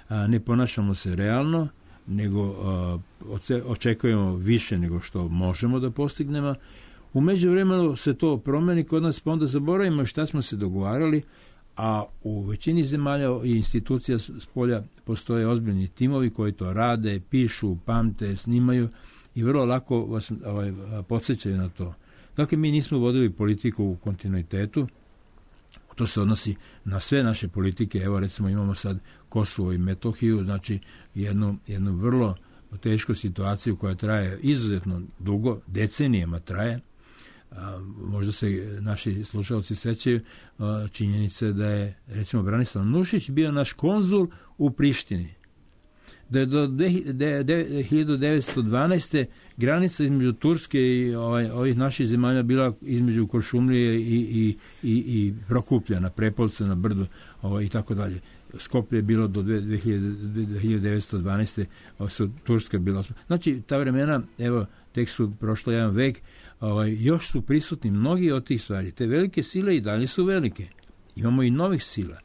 a, ne ponašamo se realno, nego a, očekujemo više nego što možemo da postignemo. U međuvremenu se to promeni kod nas, pa onda zaboravimo šta smo se dogovarali, a u većini zemalja i institucija s polja postoje ozbiljni timovi koji to rade, pišu, pamte, snimaju i vrlo lako vas ovaj, podsjećaju na to. Dakle, mi nismo vodili politiku u kontinuitetu, to se odnosi na sve naše politike. Evo, recimo, imamo sad Kosovo i Metohiju, znači jednu, jednu vrlo tešku situaciju koja traje izuzetno dugo, decenijama traje. A, možda se naši slušalci sećaju a, činjenice da je, recimo, Branislav Nušić bio naš konzul u Prištini. Da je do hiljadu devetsto dvanaeste. granica između Turske i ovaj, ovih naših zemalja bila između Kuršumlije i, i, i, i Prokuplja na Prepolcu, na Brdu ovaj, i tako dalje. Skoplje je bilo do hiljadu devetsto dvanaeste. su Turska bila. Znači, ta vremena, evo, tek su prošlo jedan vek, ovaj, još su prisutni mnogi od tih stvari. Te velike sile i dalje su velike. Imamo i novih sila.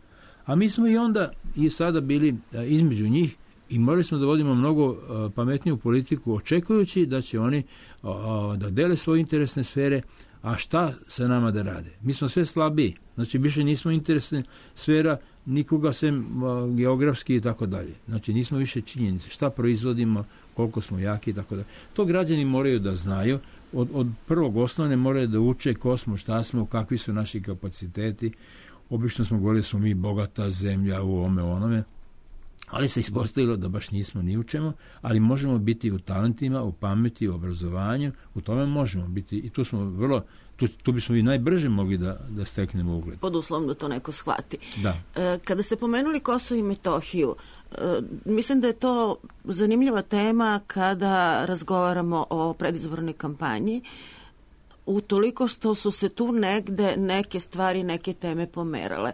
A mi smo i onda i sada bili a, između njih i morali smo da vodimo mnogo a, pametniju politiku, očekujući da će oni a, a, da dele svoje interesne sfere, a šta sa nama da rade? Mi smo sve slabiji. Znači, više nismo interesne sfera nikoga sem a, geografski i tako dalje. Znači, nismo više činjenice. Šta proizvodimo, koliko smo jaki i tako dalje. To građani moraju da znaju. Od, od prvog osnovne moraju da uče ko smo, šta smo, kakvi su naši kapaciteti. Obično smo govorili da smo mi bogata zemlja u ovome onome, ali se ispostavilo da baš nismo ni u čemu, ali možemo biti u talentima, u pameti, u obrazovanju, u tome možemo biti i tu smo vrlo, tu, tu bismo i najbrže mogli da, da steknemo ugled. Pod uslovom da to neko shvati. Da. E, kada ste pomenuli Kosovo i Metohiju, e, mislim da je to zanimljiva tema kada razgovaramo o predizbornoj kampanji, utoliko što su se tu negde neke stvari, neke teme pomerale.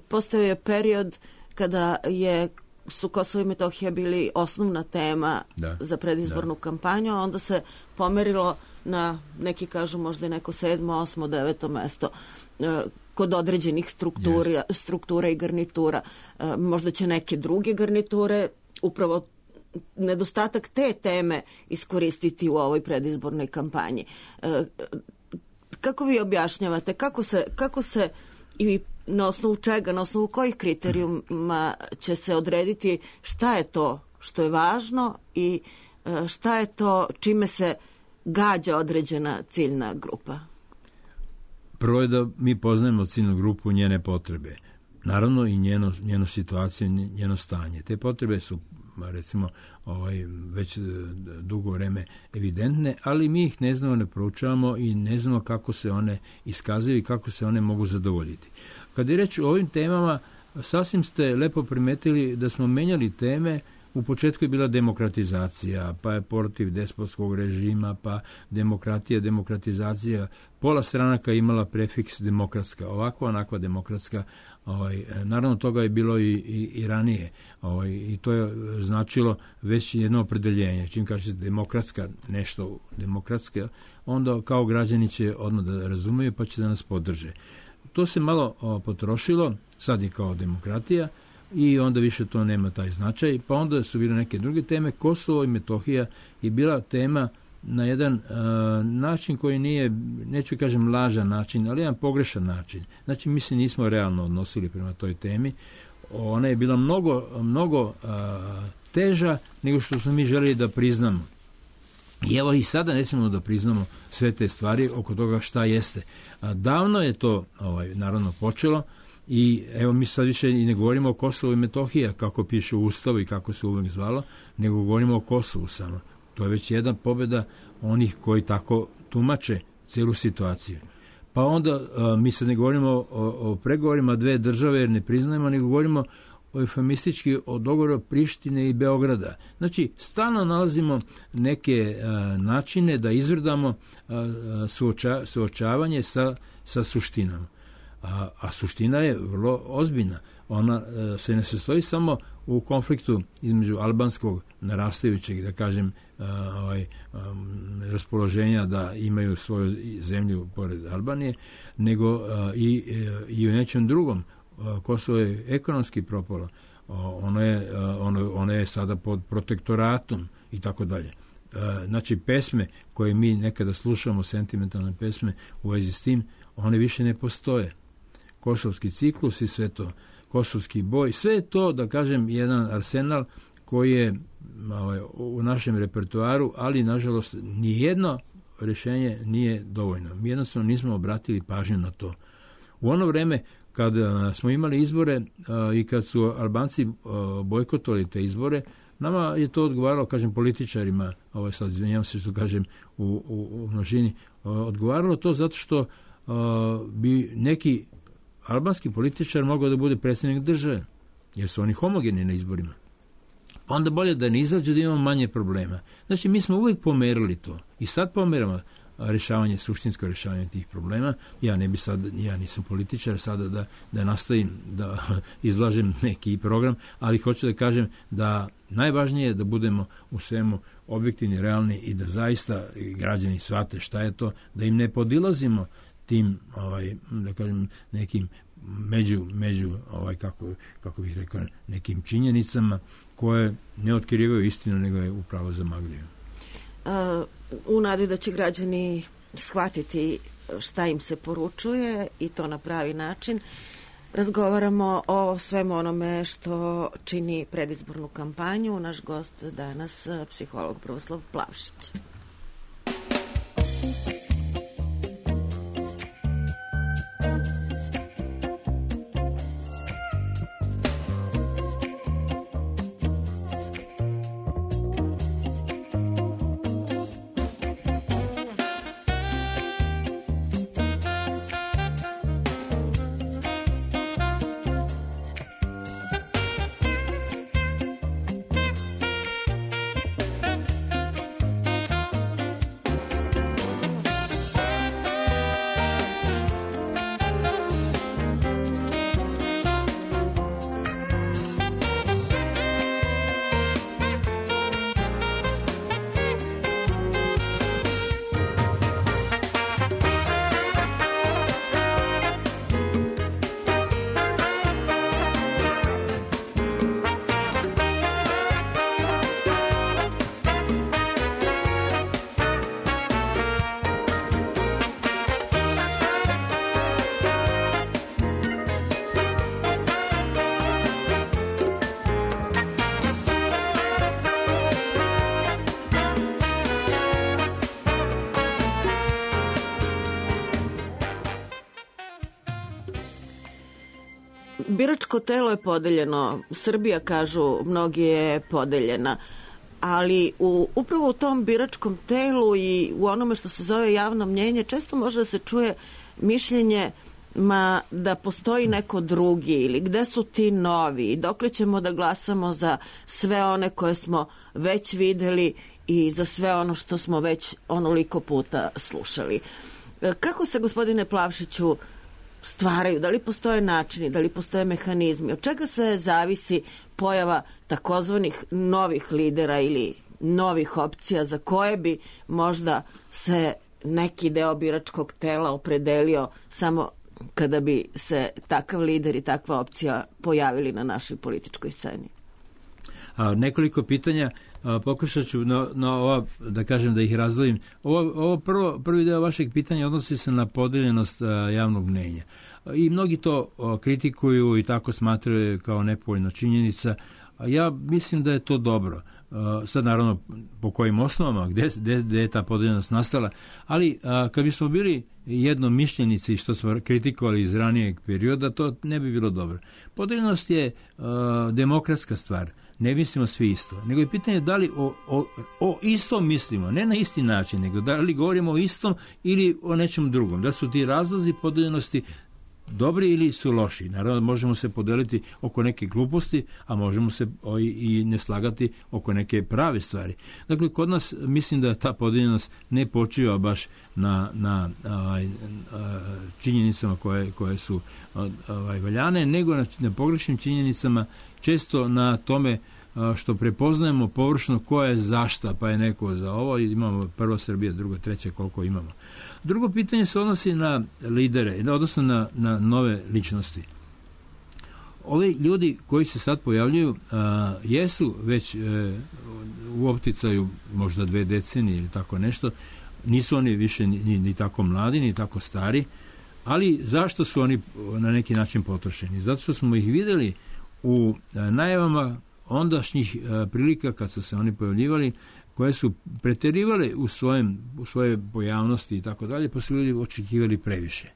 Postao je period kada je, su Kosovo i Metohija bili osnovna tema da, za predizbornu da. kampanju, a onda se pomerilo na, neki kažu možda neko sedmo, osmo, deveto mesto e, kod određenih struktura, yes. struktura i garnitura. E, možda će neke druge garniture upravo nedostatak te teme iskoristiti u ovoj predizbornoj kampanji. E, kako vi objašnjavate, kako se, kako se i na osnovu čega, na osnovu kojih kriterijuma će se odrediti šta je to što je važno i šta je to čime se gađa određena ciljna grupa? Prvo je da mi poznajemo ciljnu grupu, njene potrebe. Naravno i njeno, njeno situaciju, njeno stanje. Te potrebe su, recimo, ovaj, već dugo vreme evidentne, ali mi ih ne znamo, ne proučavamo i ne znamo kako se one iskazuju i kako se one mogu zadovoljiti. Kad je reč o ovim temama, sasvim ste lepo primetili da smo menjali teme. U početku je bila demokratizacija, pa je protiv despotskog režima, pa demokratija, demokratizacija. Pola stranaka imala prefiks demokratska, ovakva, onakva demokratska. Ovaj, naravno, toga je bilo i, i, i ranije. Ovaj, I to je značilo već jedno opredeljenje. Čim kažete demokratska, nešto demokratske, onda kao građani će odmah da razumeju pa će da nas podrže. To se malo o, potrošilo, sad je kao demokratija, i onda više to nema taj značaj, pa onda su bile neke druge teme. Kosovo i Metohija je bila tema na jedan uh, način koji nije, neću kažem lažan način, ali jedan pogrešan način. Znači, mi se nismo realno odnosili prema toj temi. Ona je bila mnogo, mnogo uh, teža nego što smo mi želeli da priznamo. I evo i sada ne smijemo da priznamo sve te stvari oko toga šta jeste. A davno je to ovaj, naravno počelo. I evo mi sad više i ne govorimo o Kosovu i Metohija kako piše u Ustavu i kako se uvek zvalo, nego govorimo o Kosovu samo. To je već jedna pobjeda onih koji tako tumače celu situaciju. Pa onda mi sad ne govorimo o, o pregovorima dve države jer ne priznajemo, nego govorimo o eufemistički o dogovoru Prištine i Beograda. Znači, stalno nalazimo neke a, načine da izvrdamo a, suoča, suočavanje sa, sa suštinom. A, a suština je vrlo ozbiljna. Ona a, se ne sastoji samo u konfliktu između albanskog narastajućeg, da kažem, a, ovaj, a, raspoloženja da imaju svoju zemlju pored Albanije, nego a, i, i u nečem drugom. Kosovo je ekonomski propalo, ono je, ono, ono je sada pod protektoratom i tako dalje. Znači, pesme koje mi nekada slušamo, sentimentalne pesme u vezi s tim, one više ne postoje. Kosovski ciklus i sve to, kosovski boj, sve je to, da kažem, jedan arsenal koji je ovaj, u našem repertoaru, ali nažalost nijedno rješenje nije dovoljno. Mi jednostavno nismo obratili pažnju na to. U ono vreme kad smo imali izbore a, i kad su Albanci a, bojkotovali te izbore, nama je to odgovaralo, kažem, političarima, ovaj sad izvinjavam se što kažem u, u, u množini, a, odgovaralo to zato što a, bi neki albanski političar mogao da bude predsjednik države, jer su oni homogeni na izborima. Pa onda bolje da ne izađe, da imamo manje problema. Znači, mi smo uvijek pomerili to i sad pomeramo rješavanje, suštinsko rješavanje tih problema. Ja ne bi sad, ja nisam političar sada da, da nastavim da izlažem neki program, ali hoću da kažem da najvažnije je da budemo u svemu objektivni, realni i da zaista građani shvate šta je to, da im ne podilazimo tim, ovaj, da kažem, nekim među, među ovaj, kako, kako bih rekao, nekim činjenicama koje ne otkrivaju istinu, nego je upravo zamagljuju. Uh, u nadi da će građani shvatiti šta im se poručuje i to na pravi način, razgovaramo o svemu onome što čini predizbornu kampanju. Naš gost danas, psiholog Bravoslav Plavšić. Biračko telo je podeljeno. Srbija, kažu, mnogi je podeljena. Ali u, upravo u tom biračkom telu i u onome što se zove javno mnjenje često može da se čuje mišljenje ma da postoji neko drugi ili gde su ti novi i dokle ćemo da glasamo za sve one koje smo već videli i za sve ono što smo već onoliko puta slušali. Kako se, gospodine Plavšiću, stvaraju, da li postoje načini, da li postoje mehanizmi, od čega sve zavisi pojava takozvanih novih lidera ili novih opcija za koje bi možda se neki deo biračkog tela opredelio samo kada bi se takav lider i takva opcija pojavili na našoj političkoj sceni? A, nekoliko pitanja, a, pokušat ću na, na ova, da kažem, da ih razdvojim. Ovo, ovo prvo, prvi deo vašeg pitanja odnosi se na podeljenost a, javnog mnenja. I mnogi to a, kritikuju i tako smatraju kao nepovoljna činjenica. A ja mislim da je to dobro. A, sad naravno po kojim osnovama, gde, gde, gde je ta podeljenost nastala, ali a, kad bismo bili jednomišljenici što smo kritikovali iz ranijeg perioda, to ne bi bilo dobro. Podeljenost je a, demokratska stvar. ne mislimo svi isto. Nego je pitanje da li o, o, o istom mislimo, ne na isti način, nego da li govorimo o istom ili o nečem drugom. Da su ti razlozi podeljenosti dobri ili su loši. Naravno, možemo se podeliti oko neke gluposti, a možemo se i ne slagati oko neke prave stvari. Dakle, kod nas mislim da ta podeljenost ne počiva baš na, na ovaj, činjenicama koje, koje su ovaj, valjane, nego na, na pogrešnim činjenicama, često na tome što prepoznajemo površno ko je zašta, pa je neko za ovo, imamo prvo Srbija, drugo, treće, koliko imamo. Drugo pitanje se odnosi na lidere, odnosno na, na nove ličnosti. Ovi ljudi koji se sad pojavljuju a, jesu već e, u opticaju možda dve decenije ili tako nešto, nisu oni više ni, ni, ni tako mladi, ni tako stari, ali zašto su oni na neki način potrošeni? Zato što smo ih vidjeli u a, najavama ondašnjih a, prilika kad su se oni pojavljivali, koje su preterivale u, svojem, u svoje pojavnosti i tako dalje, pa su ljudi očekivali previše.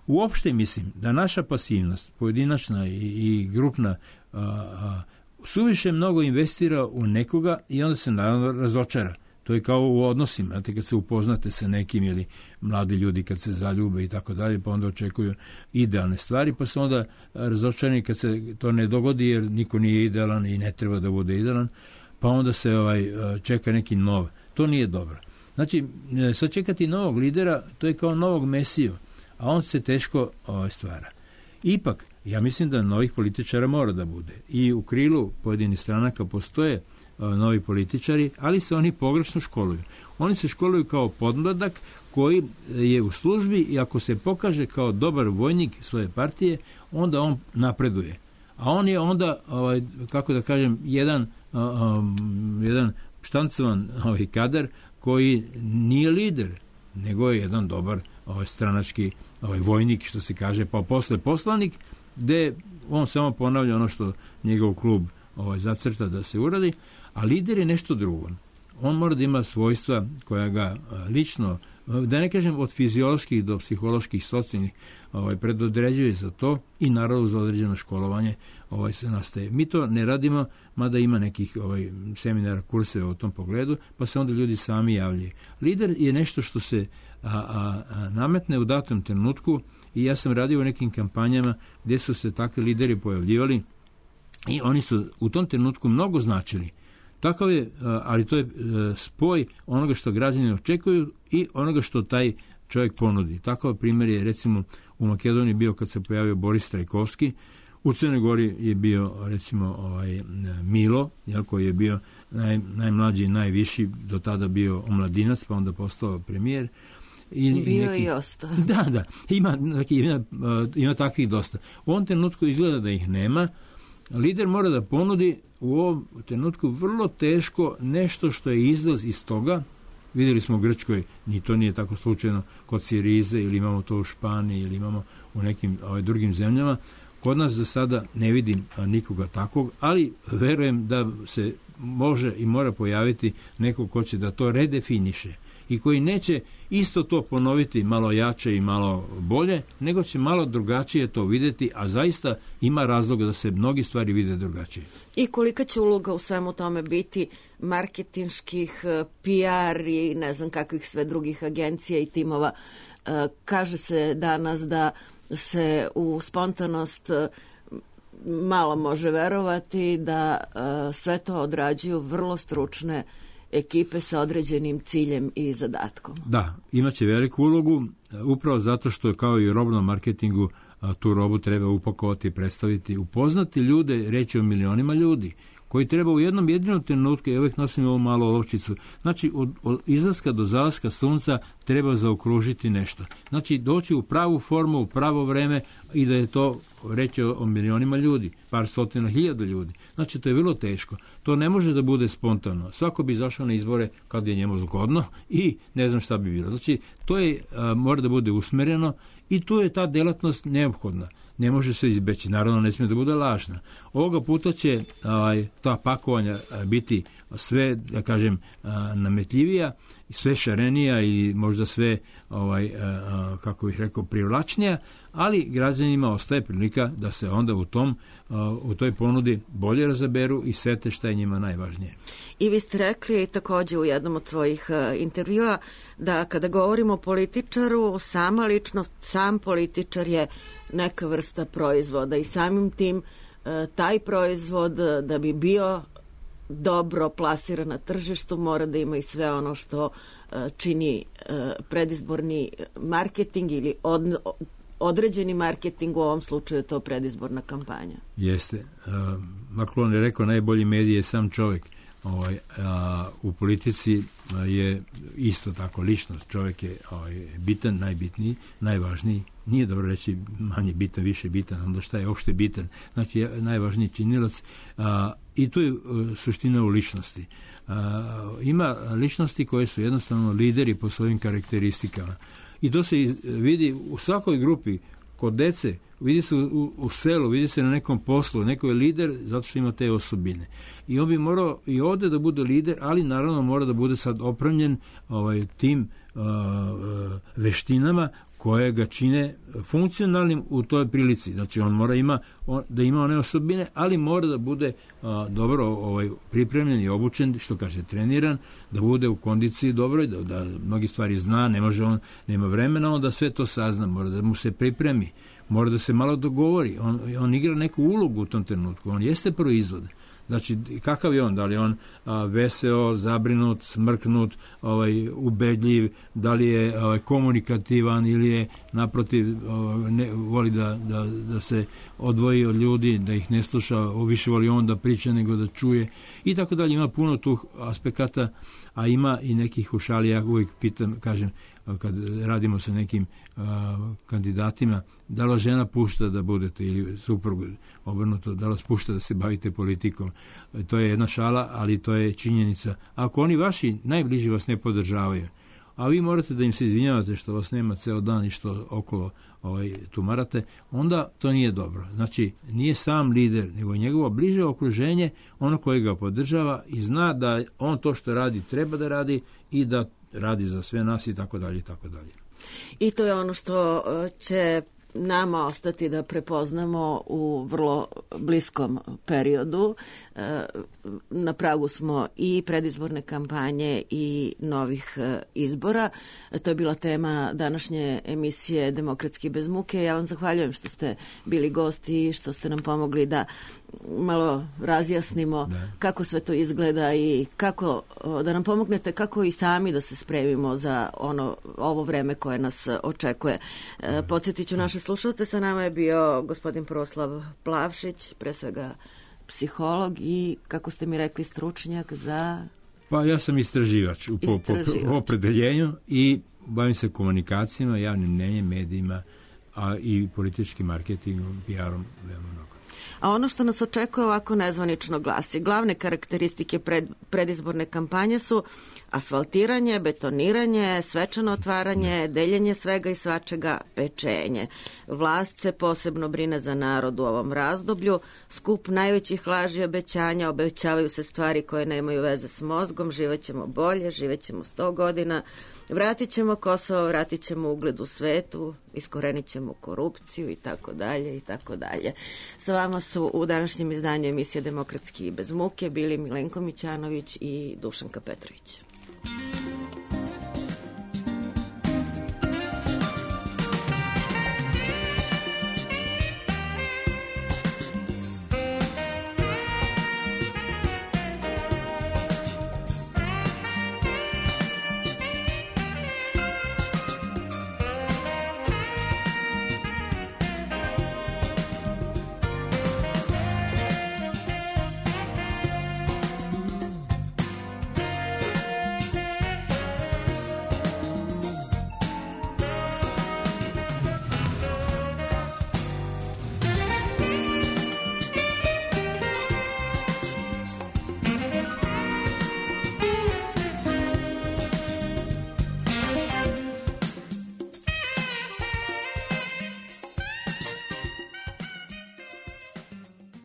Uopšte mislim da naša pasivnost, pojedinačna i, i grupna, a, a, suviše mnogo investira u nekoga i onda se naravno razočara. To je kao u odnosima, znate, kad se upoznate sa nekim ili mladi ljudi kad se zaljube i tako dalje, pa onda očekuju idealne stvari, pa su onda razočarani kad se to ne dogodi jer niko nije idealan i ne treba da bude idealan, pa onda se ovaj čeka neki nov. To nije dobro. Znači, sad čekati novog lidera, to je kao novog mesiju, a on se teško ovaj, stvara. Ipak, ja mislim da novih političara mora da bude. I u krilu pojedinih stranaka postoje ovaj, novi političari, ali se oni pogrešno školuju. Oni se školuju kao podmladak koji je u službi i ako se pokaže kao dobar vojnik svoje partije, onda on napreduje. A on je onda, ovaj, kako da kažem, jedan Um, jedan štancovan ovaj kadar koji nije lider, nego je jedan dobar ovaj, stranački ovaj, vojnik, što se kaže, pa posle poslanik, gde on samo ponavlja ono što njegov klub ovaj, zacrta da se uradi, a lider je nešto drugo. On mora da ima svojstva koja ga a, lično, da ne kažem od fizioloških do psiholoških, socijalnih, ovaj, predodređuje za to i naravno za određeno školovanje ovaj, se nastaje. Mi to ne radimo, mada ima nekih ovaj, seminara, kurseva u tom pogledu, pa se onda ljudi sami javljaju. Lider je nešto što se a, a, a, nametne u datom trenutku i ja sam radio u nekim kampanjama gdje su se takvi lideri pojavljivali i oni su u tom trenutku mnogo značili. Takav je, ali to je spoj onoga što građani očekuju i onoga što taj čovjek ponudi. Takav primjer je recimo u Makedoniji bio kad se pojavio Boris Trajkovski, u Crnoj Gori je bio recimo ovaj Milo, jel, koji je bio naj, najmlađi i najviši, do tada bio omladinac, pa onda postao premijer. I, bio neki, i ostao. Da, da, ima, ima, ima takvih dosta. U ovom trenutku izgleda da ih nema. Lider mora da ponudi u ovom trenutku vrlo teško nešto što je izlaz iz toga. Vidjeli smo u Grčkoj, ni to nije tako slučajno kod Sirize, ili imamo to u Španiji, ili imamo u nekim ovaj, drugim zemljama. Kod nas za sada ne vidim a, nikoga takvog, ali verujem da se može i mora pojaviti neko ko će da to redefiniše i koji neće isto to ponoviti malo jače i malo bolje, nego će malo drugačije to vidjeti, a zaista ima razloga da se mnogi stvari vide drugačije. I kolika će uloga u svemu tome biti marketinških, P R i ne znam kakvih sve drugih agencija i timova? Kaže se danas da se u spontanost malo može verovati, da sve to odrađuju vrlo stručne ekipe sa određenim ciljem i zadatkom. Da, imaće veliku ulogu, upravo zato što kao i u robnom marketingu tu robu treba upakovati, predstaviti, upoznati ljude, reći o milionima ljudi koji treba u jednom jedinom trenutku, ja uvijek nosim ovu malu olovčicu, znači od, od izlaska do zalaska sunca treba zaokružiti nešto. Znači doći u pravu formu, u pravo vreme i da je to reći o, o milionima ljudi, par stotina hiljada ljudi. Znači to je vrlo teško. To ne može da bude spontano. Svako bi izašao na izbore kad je njemu zgodno i ne znam šta bi bilo. Znači to je, a, mora da bude usmereno i tu je ta delatnost neophodna. ne može se izbeći. Naravno, ne smije da bude lažna. Ovoga puta će ovaj, ta pakovanja biti sve, da kažem, nametljivija, sve šarenija i možda sve, ovaj, kako bih rekao, privlačnija, ali građanima ostaje prilika da se onda u tom u toj ponudi bolje razaberu i sete šta je njima najvažnije. I vi ste rekli također u jednom od svojih intervjua da kada govorimo o političaru, sama ličnost, sam političar je neka vrsta proizvoda i samim tim taj proizvod da bi bio dobro plasiran na tržištu mora da ima i sve ono što čini predizborni marketing ili od, određeni marketing, u ovom slučaju je to predizborna kampanja. Jeste. Macron je rekao najbolji medij je sam čovjek. Ovaj, a, u politici je isto tako ličnost. Čovjek je ovaj, bitan, najbitniji, najvažniji. Nije dobro reći manje bitan, više bitan, onda šta je opšte bitan. Znači je najvažniji činilac a, i tu je a, suština u ličnosti. A, ima ličnosti koje su jednostavno lideri po svojim karakteristikama. I to se vidi u svakoj grupi, kod dece, vidi se u, u selu, vidi se na nekom poslu, neko je lider zato što ima te osobine. I on bi morao i ovdje da bude lider, ali naravno mora da bude sad opremljen ovaj, tim uh, veštinama koje ga čine funkcionalnim u toj prilici. Znači on mora ima, on, da ima one osobine, ali mora da bude a, dobro ovaj, pripremljen i obučen, što kaže treniran, da bude u kondiciji dobroj, da, da mnogi stvari zna, ne može on, nema vremena on da sve to sazna, mora da mu se pripremi, mora da se malo dogovori, on, on igra neku ulogu u tom trenutku, on jeste proizvod. Znači, kakav je on? Da li je on a, veseo, zabrinut, smrknut, ovaj, ubedljiv, da li je ovaj, komunikativan ili je naprotiv ovaj, ne, voli da, da, da se odvoji od ljudi, da ih ne sluša, više voli on da priča nego da čuje i tako dalje. Ima puno tu aspekata, a ima i nekih ušalija, ja uvijek pitam, kažem, kad radimo sa nekim a, kandidatima, da li žena pušta da budete ili suprug obrnuto, da li pušta da se bavite politikom. To je jedna šala, ali to je činjenica. Ako oni vaši najbliži vas ne podržavaju, a vi morate da im se izvinjavate što vas nema ceo dan i što okolo ovaj, tumarate, onda to nije dobro. Znači, nije sam lider, nego njegovo bliže okruženje, ono koje ga podržava i zna da on to što radi treba da radi i da radi za sve nas i tako dalje i tako dalje. I to je ono što će nama ostati da prepoznamo u vrlo bliskom periodu. Na pragu smo i predizborne kampanje i novih izbora. To je bila tema današnje emisije Demokratski bez muke. Ja vam zahvaljujem što ste bili gosti i što ste nam pomogli da malo razjasnimo da. Kako sve to izgleda i kako da nam pomognete kako i sami da se spremimo za ono ovo vreme koje nas očekuje. Da. Podsjetit ću naše slušalce, sa nama je bio gospodin Proslav Plavšić, pre svega psiholog i, kako ste mi rekli, stručnjak za... Pa ja sam istraživač u po, po, po opredeljenju i bavim se komunikacijama, javnim mnjenjem, medijima, a i političkim marketingom, P R-om, veoma mnogo. A ono što nas očekuje ovako nezvanično glasi. Glavne karakteristike pred, predizborne kampanje su asfaltiranje, betoniranje, svečano otvaranje, deljenje svega i svačega, pečenje. Vlast se posebno brine za narod u ovom razdoblju. Skup najvećih laži i obećanja, obećavaju se stvari koje nemaju veze s mozgom, živećemo bolje, živećemo sto godina, vratit ćemo Kosovo, vratit ćemo ugled u svetu, iskorenit ćemo korupciju i tako dalje i tako dalje. Sa vama su u današnjem izdanju emisije Demokratski bez muke bili Milenko Mićanović i Dušanka Petrović.